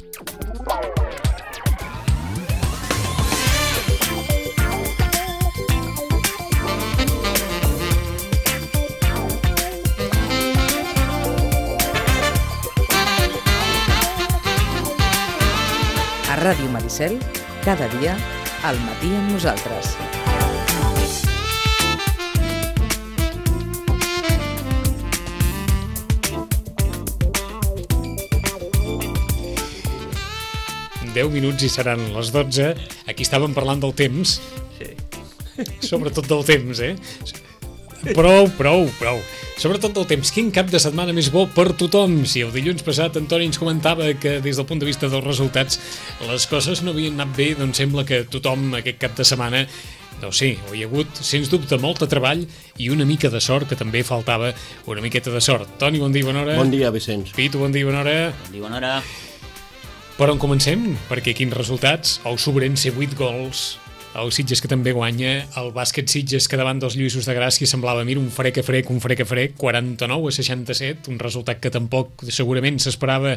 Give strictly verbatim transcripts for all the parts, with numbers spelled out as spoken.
A Ràdio Maricel, cada dia, al matí amb nosaltres. deu minuts i seran les dotze. Aquí estàvem parlant del temps. Sí. Sobretot del temps, eh? Prou, prou, prou. Sobretot del temps. Quin cap de setmana més bo per tothom? Si el dilluns passat Antoni ens comentava que des del punt de vista dels resultats les coses no havien anat bé, doncs sembla que tothom aquest cap de setmana, no sé, hi ha hagut, sens dubte, molt de treball i una mica de sort, que també faltava una miqueta de sort. Toni, bon dia, bona hora. Bon dia, Vicenç. Pitu, bon dia, bona hora. Bon dia, bona hora. Per on comencem? Perquè quins resultats? El Sobrense, vuit gols. El Sitges, que també guanya. El bàsquet Sitges, que davant dels Lluïsos de Gràcia semblava, mira, un frec a frec, un frec a frec, quaranta-nou a seixanta-set, un resultat que tampoc segurament s'esperava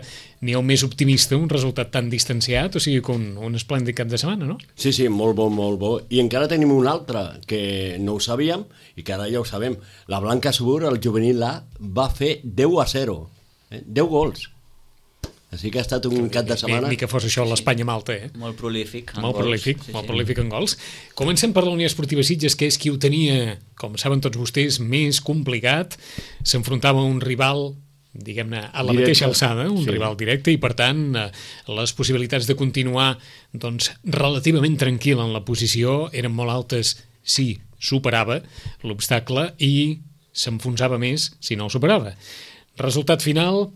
ni el més optimista, un resultat tan distanciat, o sigui, que un, un esplèndid cap de setmana, no? Sí, sí, molt bo, molt bo. I encara tenim un altre que no ho sabíem i que ara ja ho sabem. La Blanca Subur, el juvenil A, va fer deu a zero. Eh? deu gols. Així que ha estat un cap de setmana... Ni que fos això l'Espanya-Malta, eh? Molt prolífic. Molt gols. prolífic, sí, molt sí. prolífic en gols. Comencem per la Unió Esportiva Sitges, que és qui ho tenia, com saben tots vostès, més complicat. S'enfrontava a un rival, diguem-ne, a la Directe. mateixa alçada, un Sí. rival directe, i per tant les possibilitats de continuar doncs, relativament tranquil en la posició eren molt altes si superava l'obstacle i s'enfonsava més si no el superava. Resultat final...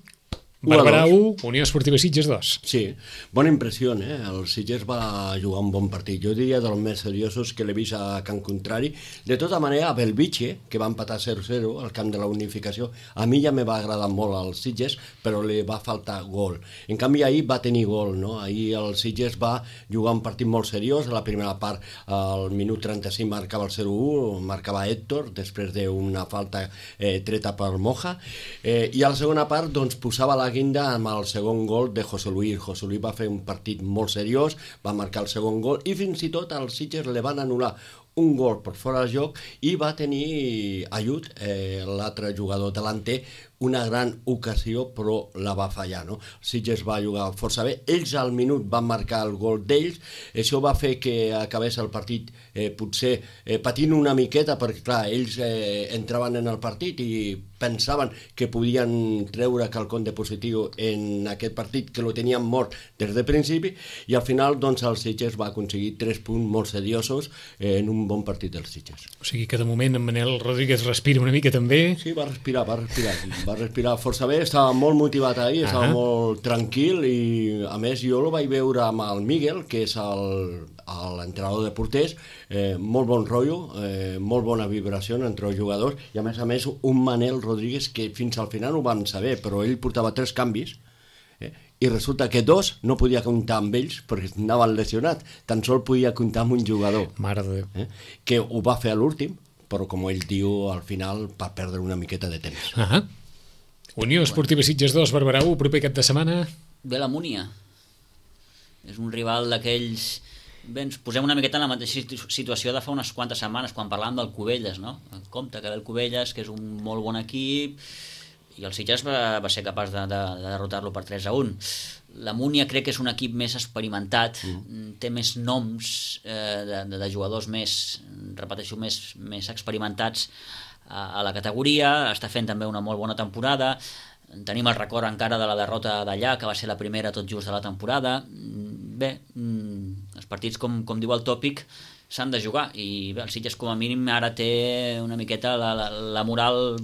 Barberà u, Unió Esportiva Sitges dos. Sí, bona impressió, eh? El Sitges va jugar un bon partit. Jo diria dels més seriosos que l'he vist a Can Contrari. De tota manera, a Belvitge, que va empatar zero a zero al camp de la Unificació, a mi ja me va agradar molt el Sitges, però li va faltar gol. En canvi, ahir va tenir gol, no? Ahir el Sitges va jugar un partit molt seriós. A la primera part, al minut trenta-cinc, marcava el zero a u, marcava Héctor, després d'una falta eh, treta per Moja. Eh, I a la segona part, doncs, posava la guinda amb el segon gol de José Luis. José Luis va fer un partit molt seriós, va marcar el segon gol i fins i tot als Sitges li van anul·lar un gol per fora de joc i va tenir ajut eh, l'altre jugador delanter, una gran ocasió, però la va fallar, no? Sitges va jugar força bé, ells al minut van marcar el gol d'ells, això va fer que acabés el partit eh, potser eh, patint una miqueta, perquè clar, ells eh, entraven en el partit i pensaven que podien treure quelcom de positiu en aquest partit, que lo tenien mort des de principi, i al final doncs el Sitges va aconseguir tres punts molt seriosos eh, en un bon partit dels Sitges. O sigui que de moment en Manel Rodríguez respira una mica també. Sí, va respirar, va respirar, va respirar força bé, estava molt motivat ahir, estava Ah. molt tranquil i a més jo el vaig veure amb el Miguel, que és el, l'entrenador de porters, eh, molt bon rotllo, eh, molt bona vibració entre els jugadors i a més a més un Manel Rodríguez que fins al final ho vam saber, però ell portava tres canvis eh, i resulta que dos no podia comptar amb ells perquè anaven lesionats, tan sol podia comptar amb un jugador. Mare de Déu. Eh, que ho va fer a l'últim, però com ell diu, al final va perdre una miqueta de temps. Ah. Unió Esportiva Sitges dos, Barberà u, proper cap de setmana. Ve la Múnia. És un rival d'aquells... Bé, ens posem una miqueta en la mateixa situació de fa unes quantes setmanes, quan parlàvem del Cubelles, no? En compte que ve el Cubelles, que és un molt bon equip, i el Sitges va, va ser capaç de, de, de derrotar-lo per tres a un. La Múnia crec que és un equip més experimentat, mm. té més noms eh, de, de jugadors més, repeteixo, més, més experimentats a, a la categoria, està fent també una molt bona temporada. Tenim el record encara de la derrota d'allà, que va ser la primera tot just de la temporada. Bé, els partits, com, com diu el tòpic, s'han de jugar, i bé, el Sitges com a mínim ara té una miqueta la, la, la moral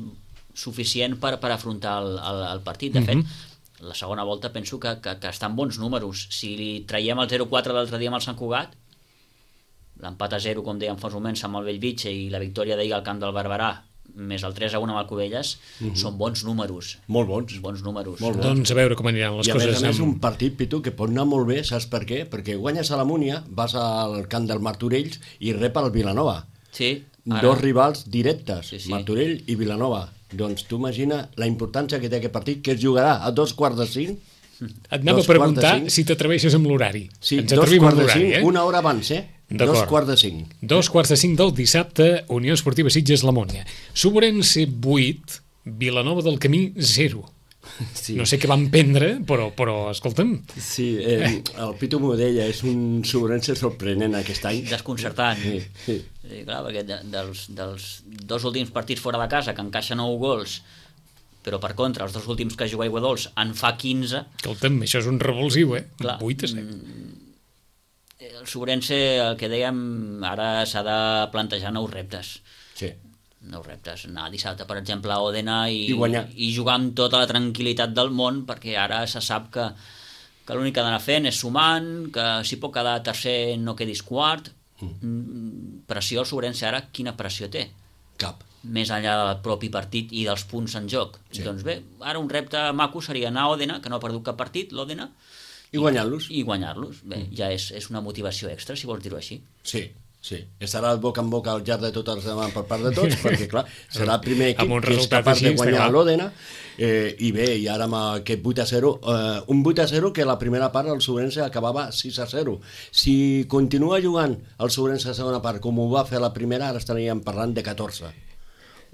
suficient per, per afrontar el, el, el partit. De fet, mm-hmm. la segona volta penso que, que, que estan bons números. Si li traiem el zero a quatre l'altre dia amb el Sant Cugat, l'empat a zero, com dèiem fa uns moments, amb el Bellvitge, i la victòria d'ahir al camp del Barberà, més el tres a un amb el Cubelles, mm-hmm. són bons números. Molt bons. Bons números. Molt bons. Doncs a veure com aniran les I a coses. més a més amb... un partit, Pitu, que pot anar molt bé, saps per què? Perquè guanyes a la Múnia, vas al camp del Martorells i rep el Vilanova. Sí. Ara... Dos rivals directes, sí, sí. Martorell i Vilanova. Doncs tu imagina la importància que té aquest partit, que es jugarà a dos quarts de cinc. Et anava a Dos quarts de preguntar cinc. si t'atreveixes amb l'horari. Sí, Ens dos atrevim quarts amb de l'horari, cinc, eh? una hora abans, eh? D'acord. Dos quarts de cinc. Dos quarts de cinc del dissabte, Unió Esportiva Sitges La Mònia. Sobrense vuit, Vilanova del Camí zero. Sí. No sé què van prendre, però, però escolta'm, Sí, eh, el Pitu m'ho deia, és un sobrense sorprenent aquest any. Desconcertant. Sí, sí. Sí, clar, perquè de, dels, dels dos últims partits fora de casa, que encaixa nou gols, però per contra, els dos últims que juga Iguadols en fa quinze... escolta'm, això és un revulsiu, eh? Clar, vuit a set. El Sobrense, el que dèiem, ara s'ha de plantejar nous reptes. Sí. Nous reptes. Anar dissabte, per exemple, a Òdena i, I guanyar. i jugar amb tota la tranquil·litat del món, perquè ara se sap que, que l'únic que ha d'anar fent és sumant, que si pot quedar tercer no quedis quart. Mm. Pressió al Sobrense ara, quina pressió té? Cap. Més enllà del propi partit i dels punts en joc. Sí. Doncs bé, ara un repte maco seria anar a Òdena, que no ha perdut cap partit, l'Òdena, I guanyar-los. i guanyar-los. Bé, mm. ja és, és una motivació extra, si vols dir-ho així. Sí, sí. Estarà boca en boca al llarg de tota la setmana per part de tots, perquè, clar, serà el primer equip Amb un que és resultat capaç així, de està guanyar clar. l'Òdena. Eh, I bé, i ara amb aquest vuit a zero, eh, un vuit a zero que la primera part el Sobrense acabava sis a zero. Si continua jugant el Sobrense a segona part com ho va fer la primera, ara estaríem parlant de catorze.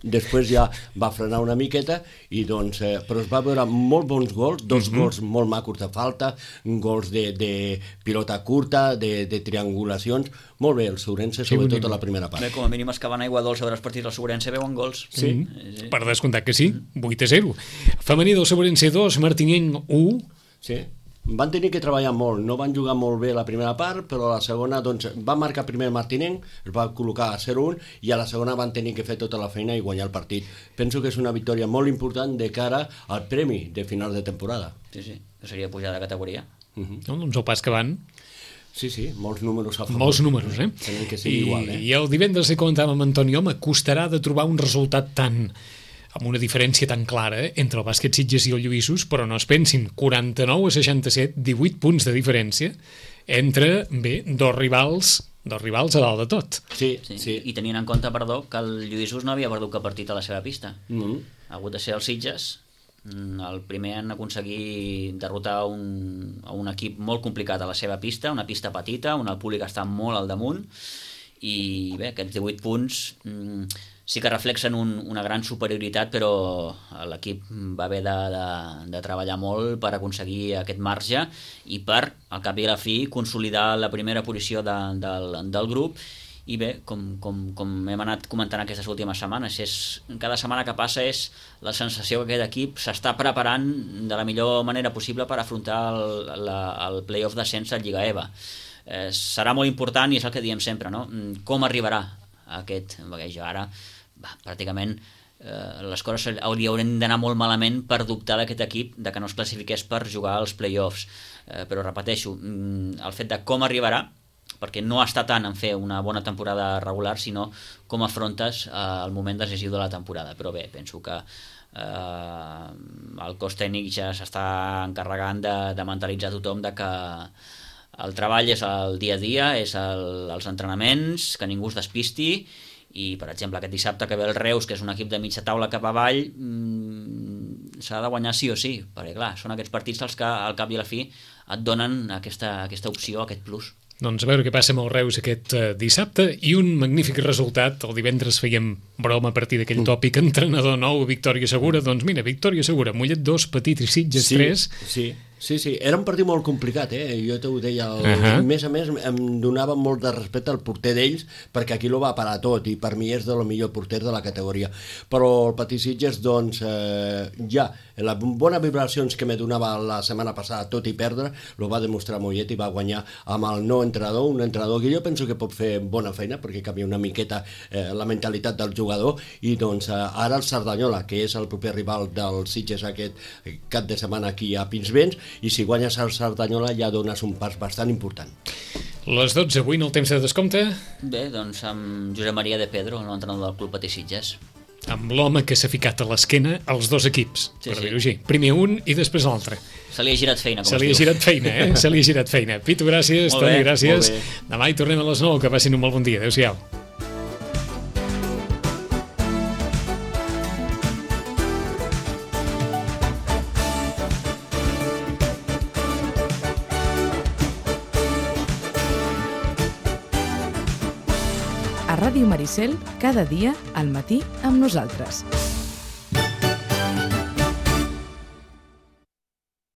Després ja va frenar una miqueta i doncs, eh, però es va veure molt bons gols, dos Mhm. gols molt macos de falta, gols de, de pilota curta, de, de triangulacions, molt bé el Sobrense, sobretot bonic. a la primera part. Bé, com a mínim els que van a Iguadols a veure els partits del Sobrense veuen gols. Sí. Sí. Per descomptat que sí, vuit a zero. Femení del Sobrense dos, Martinenc u. Sí. Van tenir que treballar molt, no van jugar molt bé la primera part, però a la segona doncs, va marcar primer Martinenc, es va col·locar a zero un i a la segona van tenir que fer tota la feina i guanyar el partit. Penso que és una victòria molt important de cara al premi de final de temporada. Sí, sí, que seria pujar de categoria. Uh -huh. No, doncs el pas que van, Sí, sí, molts números a favor. molts números, eh? Tenen que ser igual, eh? I el divendres que comentàvem amb Antoni, home, costarà de trobar un resultat tan amb una diferència tan clara eh, entre el bàsquet Sitges i el Lluïssos, però no es pensin, quaranta-nou a seixanta-set, divuit punts de diferència entre, bé, dos rivals, dos rivals a dalt de tot. Sí, Sí. sí. I tenint en compte, perdó, que el Lluïssos no havia perdut cap partit a la seva pista. Mm -hmm. Ha hagut de ser els Sitges, el primer en aconseguir derrotar un, a un equip molt complicat a la seva pista, una pista petita, on el públic està molt al damunt, i bé, aquests divuit punts mm, sí que reflexen un, una gran superioritat, però l'equip va haver de, de, de treballar molt per aconseguir aquest marge i per, al cap i a la fi, consolidar la primera posició de, del, del grup. I bé, com, com, com hem anat comentant aquestes últimes setmanes, és, cada setmana que passa és la sensació que aquest equip s'està preparant de la millor manera possible per afrontar el, la, el play-off d'ascens a Lliga EVA. Eh, serà molt important, i és el que diem sempre, no? Com arribarà aquest, perquè jo ara va, pràcticament eh, les coses li haurien d'anar molt malament per dubtar d'aquest equip de que no es classifiqués per jugar als play-offs, eh, però repeteixo, el fet de com arribarà, perquè no està tant en fer una bona temporada regular, sinó com afrontes eh, el moment decisiu de la temporada. Però bé, penso que eh, el cos tècnic ja s'està encarregant de, de mentalitzar tothom de que el treball és el dia a dia, és el, els entrenaments, que ningú es despisti, i per exemple aquest dissabte que ve el Reus, que és un equip de mitja taula cap avall, mmm, s'ha de guanyar sí o sí, perquè clar, són aquests partits els que al cap i a la fi et donen aquesta, aquesta opció, aquest plus. Doncs a veure què passa amb el Reus aquest uh, dissabte, i un magnífic resultat. El divendres fèiem broma a partir d'aquell tòpic entrenador nou, victòria segura. Doncs mira, victòria segura, Mollet dos, Petit i Sitges sí, tres. Sí, sí, sí, era un partit molt complicat, eh? Jo t'ho deia, el, Uh-huh. a més a més em donava molt de respecte al porter d'ells, perquè aquí lo va parar tot, i per mi és de lo millor porter de la categoria. Però el Petit Sitges, doncs, eh, ja, les bones vibracions que me donava la setmana passada, tot i perdre, lo va demostrar Mollet i va guanyar amb el nou entrenador, un entrenador que jo penso que pot fer bona feina, perquè canvia una miqueta eh, la mentalitat del jugador, i doncs eh, ara el Cerdanyola, que és el proper rival del Sitges aquest cap de setmana aquí a Pinsbens, i si guanyes el Cerdanyola ja dones un pas bastant important. Les dotze, avui en el temps de descompte, Bé, doncs amb Josep Maria de Pedro, l'entrenador del Club Petit Sitges. amb l'home que s'ha ficat a l'esquena als dos equips, Sí, per sí. dir-ho així. Primer un i després l'altre. Se li ha girat feina, com Se es li ha diu. girat feina, eh? Se li ha girat feina. Pitu, gràcies. Molt Toni, bé, gràcies. molt bé. Demà hi tornem a les nou, que passin un molt bon dia. Adéu-siau. a Ràdio Maricel, cada dia al matí amb nosaltres.